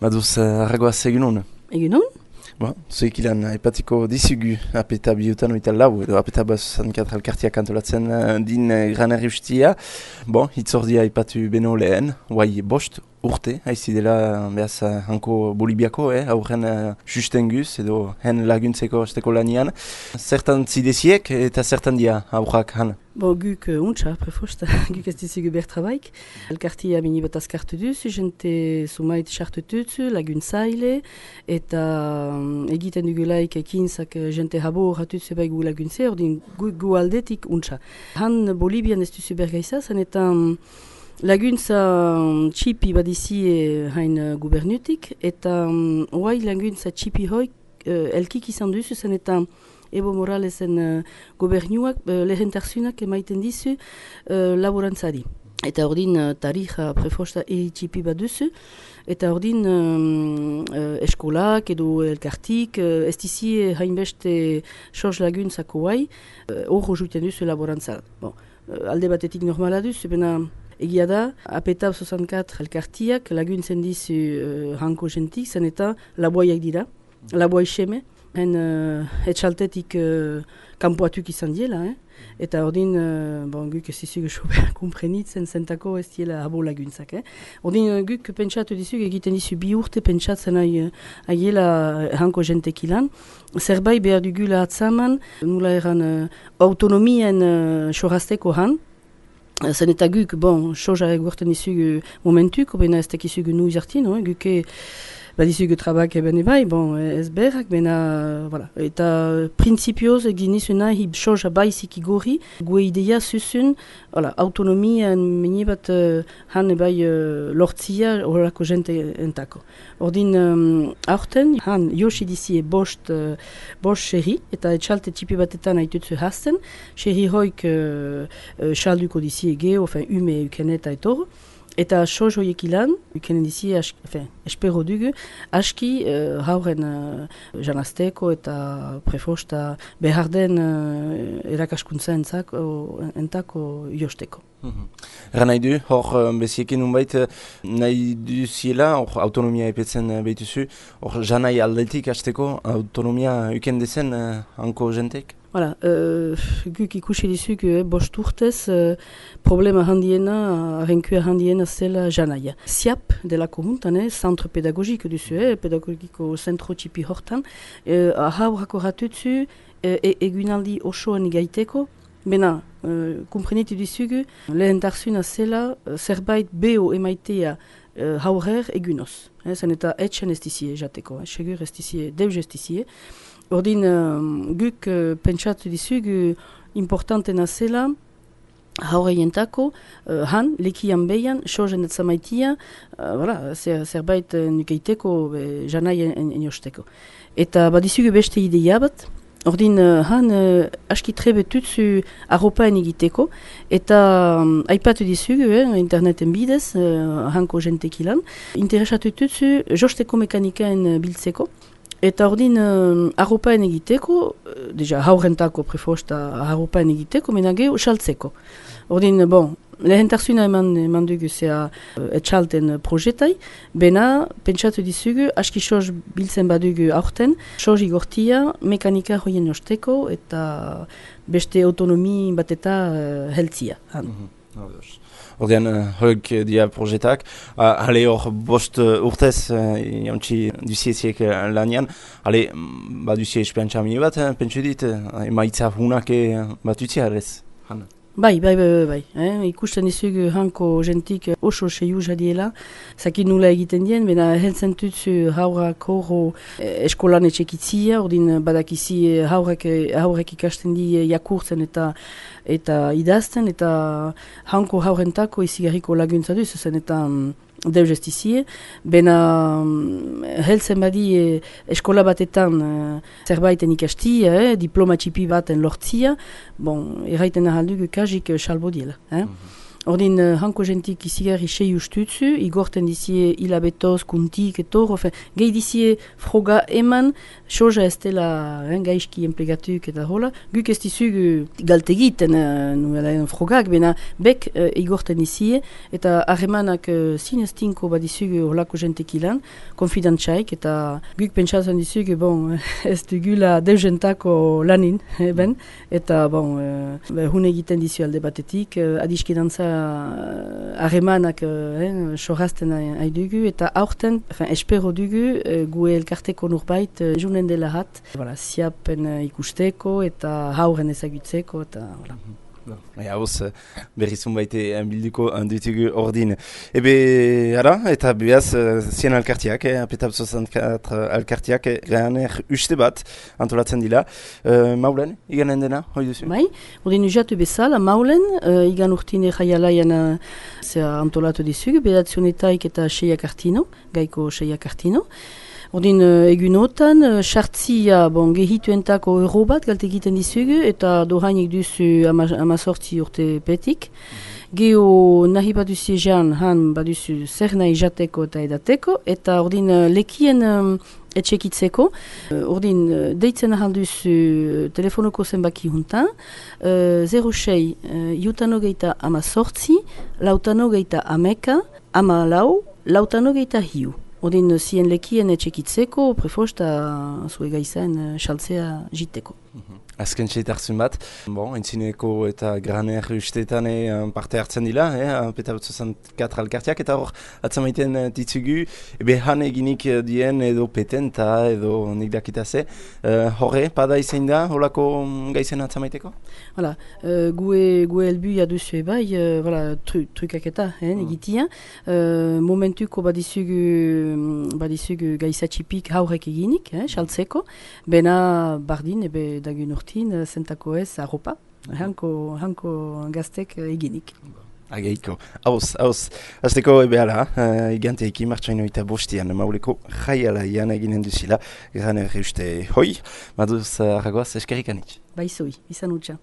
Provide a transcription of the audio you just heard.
Baduz, arragoaz egunon. Egunon? Zuek ilan, aipatiko dizugu apeta bihutan oita lau, edo apeta bazuzan katralkartiak antolatzen din granerri ustia. Hitzordia aipatu beno lehen, guai bost urte, haizi dela behaz hanko Bolibiako, aurren sustenguz edo hen laguntzeko esteko lanian. Zertan zideziek eta zertan dia aurrak han? Guk untsa, prefosta, guk ez dizugu bertrabaik. Elkartia mini bat azkartu duzu, jente sumait sartutuzu, laguntzaile, eta egiten dugulaik ekintzak jente habo horratuzu bai gu laguntze, ordin gu aldetik untsa. Han Bolibian ez duzu bergaiza, zanetan laguntza txipi badizi hain gubernutik, eta oai laguntza txipi hoi elkik izan duzu, zanetan Evo Moralesen gobernuak lehentarzunak emaiten dizu laborantzari. Eta ordin tarija prefosta txipi bat duzu, eta ordin eskolak edo elkartik ez dizi hainbeste sos laguntzako guai, horro juten duzu laborantzara. Alde batetik normala duzu, bena egia da, apeta 64 elkartiak laguntzen dizu hanko jentik, zen eta laboaiak dira, laboai xeme, etxaltetik kanpoatuk izan diela, eta ordin, guk ez dizugu sober komprenitzen zentako ez diela abo laguntzak. Ordin guk pentsatu dizugu egiten dizu bi urte pentsatzen aiela hanko jentek ilan. Zerbait behar dugula atzaman, nula eran autonomien sorazteko han. Zen eta guk, sozarek gorten dizugu momentuk, bena ez tekizugu nu izartin, guke badizugu trabak eben ebai, ez berrak, bena, voilà. Eta prinsipioz egin nizuna hib soja baizik igorri, gue idea zuzun, autonomia meni bat han ebai lortzia horrelako jente entako. Ordin aurten, han josi dizie bost xerri, eta etxalte txipi batetan haitutzu hasten, xerri hoik xalduko dizie geho, ume ukeneta etor, eta soz hoiek ilan, ukenen dizi, espero dugu, aski hauren janazteko eta prefosta behar den erakaskuntza entako josteko. Erra nahi du, hor beziekin unbait nahi duziela, hor autonomia epetzen behituzu, hor janai aldetik hasteko autonomia uken dezen hanko jentek? Guk ikusi dizuk bost urtez problema handiena, arrenkua handiena zela janaia. SIAP delako huntan, centre pedagogiko duzu, pedagogiko zentro txipi hortan, haurako ratutzu egunaldi osoan igaiteko, bena, kumprenitu dizugu, lehentarzuna zela zerbait beho emaitea haurer egunoz. Zen eta etxen ez dizie jateko, segur ez dizie, deus ez dizie. Ordin guk pentsatu dizugu importantena zela haureientako han, lekian behian, sozen etzamaitia, zerbait nukeiteko janai eniosteko. Eta badizugu beste ideia bat, ordin han aski trebetutzu arropaen egiteko, eta aipatu dizugu interneten bidez, hanko jentekilan, interesatu tutzu josteko mekanikaen biltzeko, eta ordin arropaen egiteko, deja haurentako prefosta arropaen egiteko, menageo saltzeko. Ordin, lehentarzuna eman dugu zea etxalten projetai, bena pentsatu dizugu, aski soz biltzen badugu aurten, soz igortia mekanika hoien osteko eta beste autonomi bat eta heltzia. Ordean, hoik dia projetak, hale hor bost urtez jantzi duzieziek lanian, hale, duzie espeantza mini bat, pentsu dit, emaitza hunak bat utziarez, Hanna? Bai. Ikusten dizugu hanko jentik oso seiu jadiela, zakin nula egiten dien, bena heltzen tutzu haurak horro eskolan etxekitzia, ordin badakizi haurek ikasten di jakurtzen eta idazten, eta hanko haurentako izigarriko laguntza duz, zen eta deus ez dizie, bena heltzen badi eskola batetan zerbaiten ikastia, diploma txipi baten lortzia, erraiten ahaldugu kajik salbo diela. Ordin hanko jentik izigarri sei ustutzu, igorten dizie hilabetoz, kuntik, etor, gehi dizie froga eman, soja ez dela gaizki enplegatuk eta hola, guk ez dizug galtegiten frogak, bena bek igorten dizie, eta harremanak zineztinko badizug holako jentek ilan, konfidantzaik, eta guk pentsatzen dizug, bon, ez dugula deuzentako lanin, ben, eta bon, hun egiten dizu alde batetik, adiskidantza harremanak sorrazten dugu, eta aurten, espero dugu, gu elkarteko nurbait junen dela hat, ziapen ikusteko eta hauren ezagutzeko, eta voilà. Hauz, berrizun baite bilduko ditugu ordin. Ara, eta behaz, zien alkartiak, APETAB 64 alkartiak, Graner uste bat antolatzen dila. Maulen, iganen dena, hoi duzu? Bai, ordin ujatu bezala, Maulen, igan urtine jaialaian antolatu dizugu, bedatzionetaik eta seiak artino, gaiko seiak artino. Ordin egunotan, sartzia gehituentako euro bat galte egiten dizugu eta dohainik duzu 18 urte petik. Geo nahi baduzu ejan, han baduzu zer nahi jateko eta edateko, eta ordin lekien etxekitzeko. Ordin deitzen ahalduzu telefonoko zenbaki juntan, 06 jutanogeita 18, lautanogeita 11, 14, lautanogeita 5. Ordin zien lekien etxekitzeko, prefosta zue gaizaen saltzea jiteko. Azken txeitartzun bat, entzineko eta Graner usteetan parte hartzen dila, APETAB 64 alkartiak, eta hor atzamaiten ditzugu, han eginik dien edo petenta edo nik dakitaze, horre, pada izain da, holako gaizen atzamaiteko? Hala, gue helbu jaduzu bai, trukak eta egitia, momentuko badizugu gaizatxipik haurek eginik, saltzeko, bena bardin, dagun urtin, zentako ez, arropa, hanko gaztek eginik. Ageiko. Hauz. Azteko ebehala, iganteekin martxaino eta bostian, mauleko jaialaian eginen duzila, Graner uste hoi, maduz arragoaz eskerrik anitz. Baizoi, izan utxa.